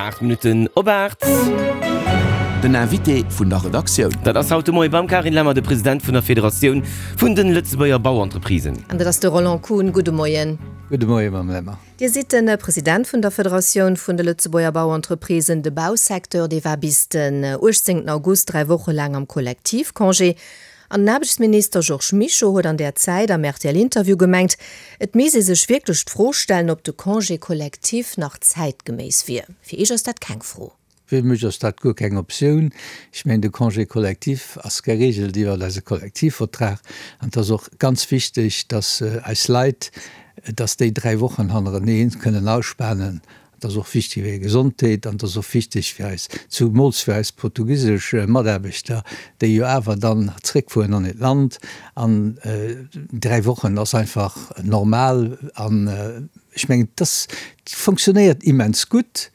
8 Minutten op 8. Den Invité vun der Redaktioun. Dat ass haut de Moie beim Carine Lemmer, de President vun der Federatioun vun den Lëtzebuerger Bauentreprisen. An dat ass de Roland Kuhn. Gudde Moien. Gudde Moie, Mme Lemmer. Dir sidd de President vun der Federatioun vun de Lëtzebuerger Bauentreprisen. De Bausecteur, dee war bis den 18 August 3 Woche laang am Kollektivcongé. An den Aarbechtsminister Georges Mischo huet an där Zäit am RTL-Interview gemengt, et misst ee sech wierklech d'Fro stellen, ob de Congé collectif nach zäitgeméiss wier. Fir Iech ass dat keng Fro. Fir mech ass dat guer keng Optioun. Ech mengen, de Congé collectif ass geregelt iwwer eise Kollektivvertrag. An et ass och ganz wichteg, dass eis Leit, dass déi 3 Wochen hannerenee kënnen ausspanen. Et ass och wichteg fir hir Gesondheet an et ass och wichteg fir eis, zumools fir eis portugisesch Mataarbechter, déi jo awer dann zréckfueren an hiert Land. An 3 Wochen ass einfach normal an ech mengen, dass fonctionnéiert immens gutt.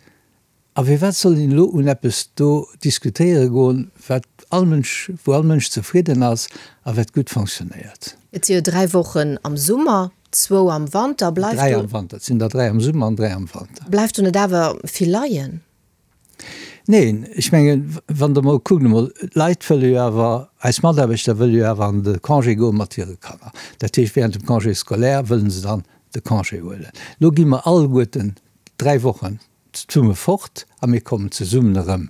A firwat soll een elo un eppes do diskutéiere goen, wat all Mënsch, wou all Mënsch zefridden ass a wat gutt fonctionnéiert? Et si jo 3 Wochen am Summer, zwou am Wanter. Bleift do. 3 am Wanter. Et sinn der 3 am Summer an 3 am Wanter. Bleift do net awer vill leien? Neen, ech mengen, wann Der emol kuckt emol, d'Leit wëlle jo awer, eis Mataarbechter wëlle jo awer an de Congé goe mat hire Kanner. Dat heescht, während dem Congé scolaire wëlle se dann de Congé huelen. Elo gi mer alleguerten 3 Wochen zesumme fort a mir kommen zesummen erëm.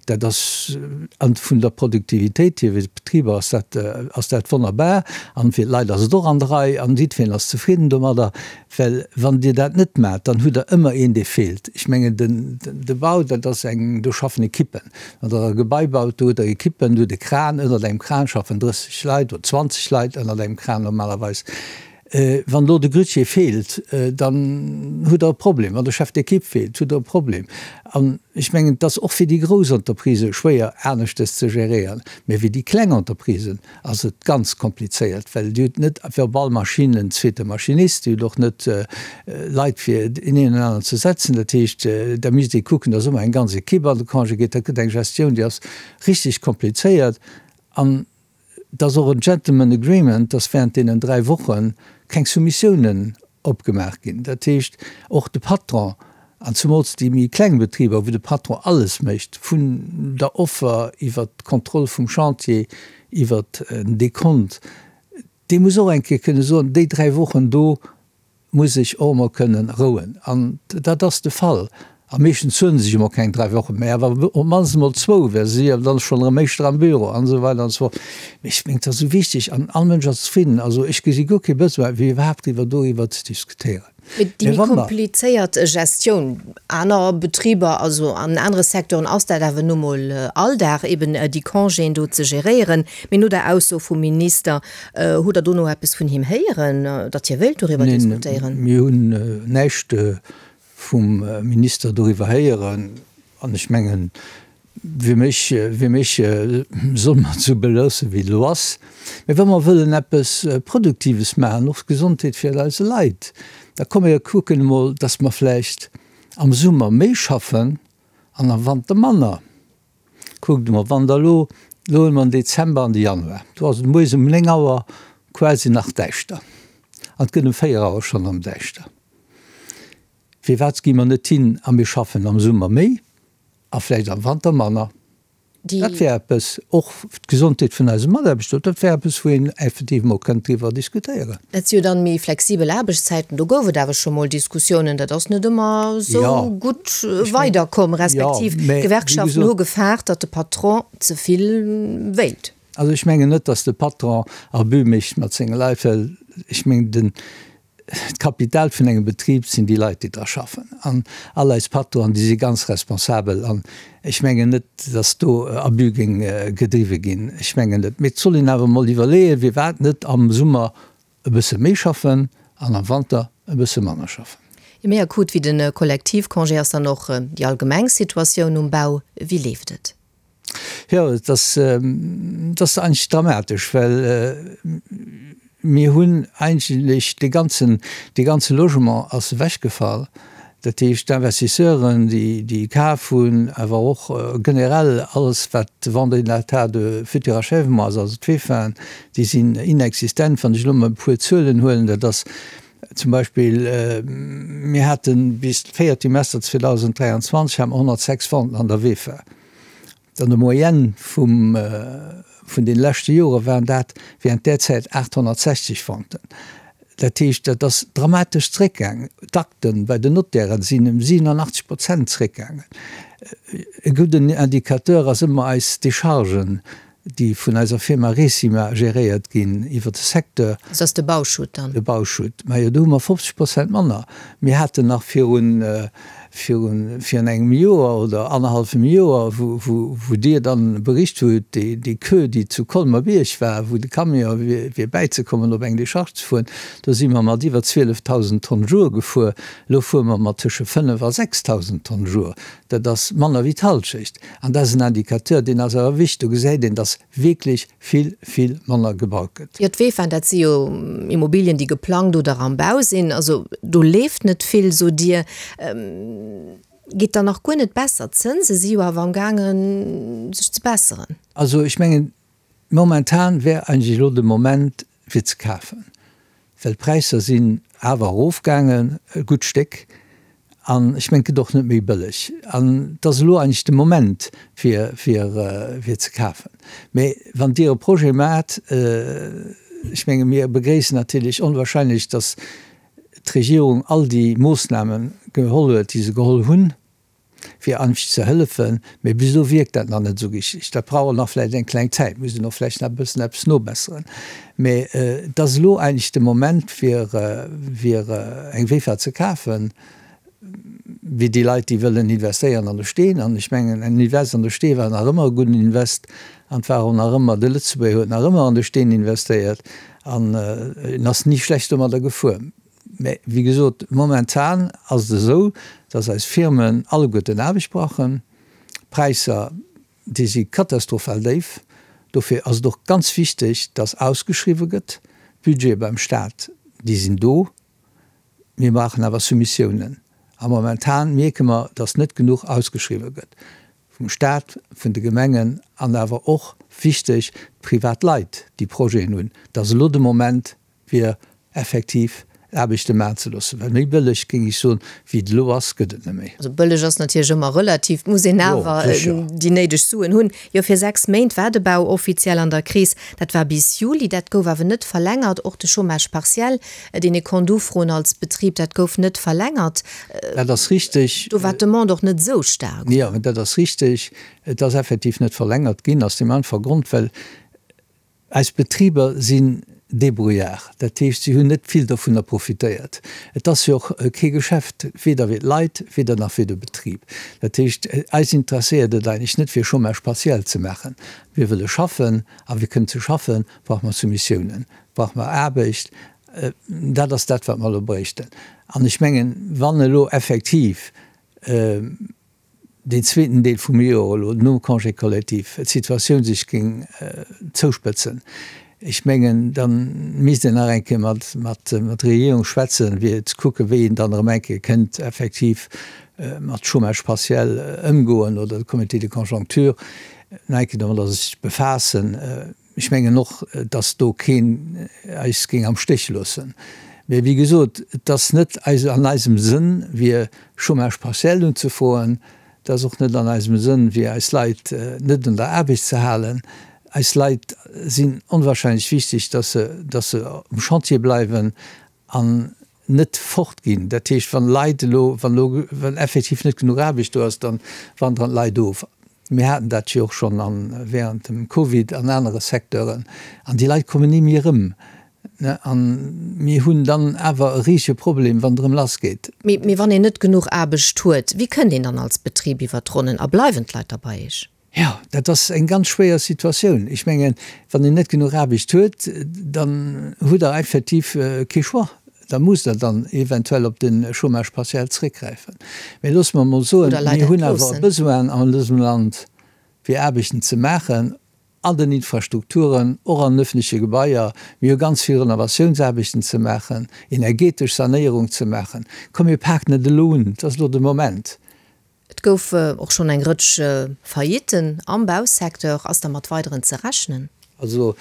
Dat ass, an vun der Produktivitéit hier fir d'Betriber ass dat, ass dat wonnerbar an fir d'Leit ass et och an der Rei an jiddwereen ass zefridden domadder, well wann Dir dat net maacht, dann hutt Der ëmmer een, dee feelt. Ech mengen, den, de Bau, dat ass eng, do schaffen Ekippen. Wann Der e Gebai baut, do hutt Der Ekippen, do hutt e Kran, ënnert engem Kran schaffen 30 Leit oder 20 Leit ënnert engem Kran normalerweis. Wann elo de Grutier feelt, dann hutt Der e Problem. Wann de Chef d'équipe feelt, hutt Der e Problem. An ech mengen, et ass och fir déi grouss Entreprisë schwéier, aneschtes ze geréieren. Mä fir déi kleng Entreprisen ass et ganz komplizéiert, well Dir hutt net fir op all Maschinn en zweete Maschinist, Dir hutt och net Leit, fir deen een an aneren ze setzen. Dat heescht, da misst ee kucken, datt ëmmer eng ganz Equipe an de Congé geet. Dat gëtt eng Gestioun, déi ass richtig komplizéiert. An Et ass och en Gentleman Agreement, dass während deenen 3 Woche keng Soumissiounen opgemaach ginn. Dat heescht, och de Patron, an zumools déi méi kleng Betriber, wou de Patron alles mécht, vun der Offer iwwert d'Kontroll vum Chantier, iwwert en Dekont, dee muss och eng Kéier kënne soen, déi 3 Wochen do muss ech och emol kënnen rouen. An dat ass de Fall. A meeschtens huele se sech emol keng 3 Wochen, mä awer op d'mannst emol zwou, well se si jo dann schonn erëm éischter am Büro an esou weider an esou fort. Mee ech mengen, et ass esou wichteg an all Mënsch ass zefridden. Also ech gesi guer kee Besoin, fir iwwerhaapt iwwer doriwwer ze diskutéieren. Mee déi méi komplizéiert Gestioun aner Betriber, also an anere Secteuren ass dat awer nu mol Alldag, eben déi Congéen do ze geréieren. Mee no der Ausso vum Minister, Hutt Der dono eppes vun him héieren, datt hie wéilt doriwwer diskutéieren? Neen, mir hunn näischt vum Minister doriwwer héieren. An ech mengen, fir mech, fir mech solle mer et esou beloossen, wéi et elo ass. Mä wa mer wëllen eppes Produktives maachen, och d'Gesondheet fir eise Leit, da komm mir kucken emol, datt mer vläicht am Summer méi schaffen an am Wanter manner. Kuckt emol, wann Der elo, elo hunn mer den Dezember an de Januar, do ass et moies um 9 Auer quasi nach däischter an et gëtt um 4 Auer schonn erëm däischter. Firwat gi mer net hin a mir schaffen am Summer méi a vläicht am Wanter manner? Dat wär eppes, och d'Gesondheet vun eise Mataarbechter, dat wär eppes, wou een effektiv emol kënnt driwwer diskutéieren. Dat si jo dann méi flexibel Aarbechtszäiten. Do gouf et awer scho mol Diskussiounen. Dat ass net ëmmer esou gutt weiderkomm, respektiv d'Gewerkschaften hu gefaart, datt de Patron ze vill wéilt. Also ech mengen net, datt de Patron Abus mécht mat senge Leit, well ech mengen den, d'Kapital vun engem Betrib sinn déi Leit, déi dra schaffen. An all eis Patronen, déi si ganz responsabel. An ech mengen net, datt do Abus géing gedriwwe ginn. Ech mengen net. Mee et soll een awer emol iwwerleeën, firwat net am Summer e bësse méi schaffen an am Wanter e bësse manner schaffen. Méi akut wéi de Kollektivcongé ass dann och déi allgemeng Situatioun um Bau. Wéi leeft et? Jo, et ass, et ass eigentlech dramatesch, well mir hunn eigentlech dee ganzen, dee ganze Logement ass ewechgefall. Dat heescht, d'Investisseuren, déi, déi kaf hunn, awer och generell alles, wat Vente en état de futur achèvement ass, also d'VEFAen, déi sinn inexistent. Wann ech elo emol e puer Zuelen huelen, dat ass. Zum Beispill, mir hate bis d'véiert Trimester 2023 hate mer 106 Venten an der VEFA. An der Moyenne vum, vun deene leschte Jore waren dat während där Zäit 860 Venten. Dat heescht, dat ass dramatesch zréckgaangen. D'Akten bei den Notairen sinn ëm 87 Prozent zréckgaangen. E gudden Indicateur ass ëmmer eis Dechargen, déi vun eiser Firma Recima geréiert ginn iwwer de Secteur. Dat ass de Bauschutt dann? De Bauschutt. Majo, do hu mer 50 Prozent manner. Mir haten nach virun, virun, virun engem Joer oder annerhallfem Joer, wou, wou, wou Dir dann bericht hutt, déi, déi Queue, déi zu Colmer-Bierg war, wou de Camion wier, fir bäizekommen, op eng Decharge ze fueren, do si mer mat iwwer 12.000 Tonn Jour gefuer. Elo fuere mer mat tësche 5 a 6.000 Tonn Jour. Dat ass manner wéi d'Hallschecht. An dat ass en Indicateur, deen ass awer wichteg. Do gesäit een, dass wierklech vill, vill manner gebaut gëtt. Jo, d'Vefa, dat si jo Immobilien, déi geplangt oder am Bau sinn. Also do leeft net vill, sot Dir. Geet dann nach guer net besser? D'Zënse si jo awer amgaangen, sech ze besseren. Also ech mengen, Momentan wär eigentlech elo de Moment fir ze kafen, well d'Präisser sinn awer erofgaangen e gutt Stéck an ech mengen et gëtt och net méi bëlleg an et ass elo eigentlech de Moment fir fir fir ze kafen. Mä wann Dir e Projet maacht, ech menge mir begréissen natierlech onwahrscheinlech, datt d'Regierung all déi Moossname geholl huet, déi se geholl hunn, fir Anfch ze hëllefen, mee bis elo wierkt dat nach net esou richteg. Dat brauch och nach vläicht eng kleng Zäit, muss een och vläicht nach e bëssen eppes nobesseren. Mee et ass elo eigentlech de Moment fir fir eng VEFA ze kafen, fir déi Leit, déi wëllen investéieren an de Steen. An ech mengen, en Invest an de Stee war nach ëmmer e gudden Invest an et war och nach ëmmer, de Lëtzebuerger huet nach ëmmer an de Steen investéiert an en ass ni schlecht domadder gefuer. Mä wéi gesot, momentan ass et esou, dass eis Firmen alleguerten Aarbecht brauchen. D'Präisser, déi si katastrophal déif. Dofir ass et och ganz wichteg, dass ausgeschriwwe gëtt. D'Budgete beim Stat, déi sinn do. Mir brauchen awer Soumissiounen. A momentan mierke mer, dass net genuch ausgeschriwwe gëtt, vum Stat, vun de Gemengen an awer och, wichteg, d'privat Leit, déi Projeten hunn. Et ass elo de Moment, fir effektiv Aarbechte maachen ze loossen, well méi bëlleg, géing ech soen, wéi et elo ass, gëtt et net méi. Also bëlleg ass natierlech ëmmer relativ, et muss een awer déi néideg Suen hunn. Jo, fir 6 Méint war de Bau offiziell an der Kris, dat war bis Juli, dat gouf awer net verlängert. Och de Chômage partiel, deen ee konnt ufroen als Betrib, dat gouf net verlängert. Dat ass richteg. Do war d'Demande och net esou staark. Jo, dat ass richteg. Et ass effektiv net verlängert ginn, aus deem einfache Grond, well Eis Betriber sinn débrouillards, dat heescht, si hunn net vill dovunner profitéiert. Et ass jo och kee Geschäft, weder fir d'Leit, weder nach fir de Betrib. Dat heescht, eis interesséiert et eigentlech net, fir Chômage partiel ze maachen. Mir wëlle schaffen, a fir kënnen ze schaffen, brauche mer Soumissiounen, brauche mer Aarbecht. Dat ass dat, wat mer elo bréichten. An ech mengen, wann elo effektiv, deen zweeten Deel vum Joer elo nom Congé collectif d'Situatioun sech géing zouspëtzen, ech mengen, da misst een nach eng Kéier mat mat der Regierung schwätzen, fir ze kucken, wéi een dann erëm eng Kéier kënnt effektiv mat Chômage partiel ëmgoen oder de Comité de conjoncture nach eng Kéier domadder sech befaassen. Ech mengen och, dass do keen eis géing am Stéch loossen. Mä wéi gesot, et ass net an eisem Sënn, fir Chômage partiel unzefroen. Et ass och net an eisem Sënn, fir eis Leit net un der Aarbecht ze halen. Eis Leit sinn onwahrscheinlech wichteg, dass se, dass se um Chantier bleiwen An net fort ginn. Dat heescht, wann Leit elo, wann elo, wann effektiv net genuch Aarbecht do ass, dann wandern d'Leit of. Mir haten dat jo och schonn an, während dem Covid an anere Secteuren. An déi Leit kommen ni méi erëm. A mir hunn dann awer e risege Problem, wann et erëm lassgeet. Mee, mee wann een net genuch Aarbecht huet, wéi kënnt een dann als Betrib iwwer d'Ronnen a bleiwen d'Leit da bei Iech? Jo, dat ass eng ganz schwéier Situatioun. Ech mengen, wann een net genuch Aarbecht huet, dann hutt Der effektiv kee Choix. Da musst Der dann eventuell op de Chômage partiel zréckgräifen. Mä loosse mer emol soen, mir hunn awer e Besoin an dësem Land, fir Aarbechten ze maachen an den Infrastrukturen, och an den öffentleche Gebaier. Mir hu ganz vill Renovatiounsaarbechten ze maachen, energetesch Sanéierung ze maachen. Komm, mir paken et elo un, et ass elo de Moment. Et gouf och schonn eng Rëtsch Faillitten am Bausecteur. Ass da mat weideren ze rechnen? Also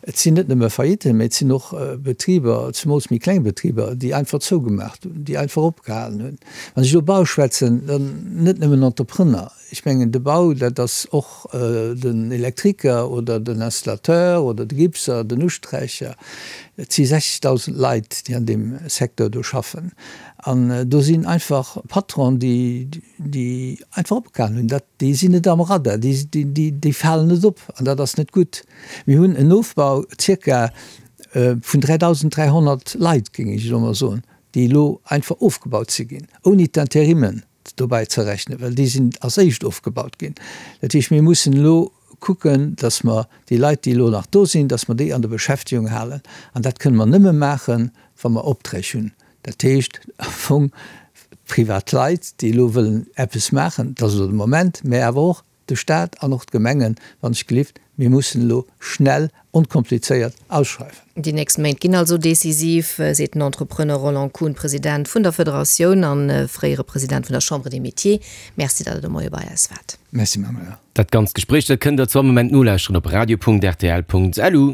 et sinn net nëmme Faillitten, mä et sinn och Betriber, zemools méi kleng Betriber, déi einfach zougemaacht hunn, déi einfach opgehalen hunn. Wann ech elo Bau schwätzen, dann net nëmmen Entrepreneur. Ech mengen de Bau, dat ass och den Elektriker oder den Installateur oder de Gipser, den Usträicher. Et si 60.000 Leit, déi an deem Secteur do schaffen. An do sinn einfach Patronen, déi, déi einfach opgehalen hunn. Dat, déi sinn net am Radar, déi, déi, déi falen net op an dat ass net gutt. Mir hunn en Ofbau zirka vun 3.300 Leit, géing ech elo mol soen, déi elo einfach ofgebaut si ginn, ouni d'Interimmen dobäi ze rechnen, well déi sinn als éischt ofgebaut ginn. Dat heescht, mir mussen elo kucken, datt mer déi Leit, déi elo nach do sinn, datt mer déi an der Beschäftegung halen. An dat kënne mer nëmme maachen, wa mer Opträg hunn. Dat heescht am Fong, privat Leit, déi elo wëllen eppes maachen, dat ass elo de Moment, mä awer och de Stat an och d'Gemengen, wann ech gelift, mir mussen elo schnell, onkomplizéiert ausschreiwen. Déi nächst Méint ginn also decisiv, seet den Entrepreneur Roland Kuhn, President vun der Federatioun a fréiere President vun der Chambre des Métiers. Merci, datt Der de Moie bei eis waart. Merci, Manuela. Dat ganzt Gespréich, dat kënnt Der zu all Moment nolauschteren op radio.rtl.lu.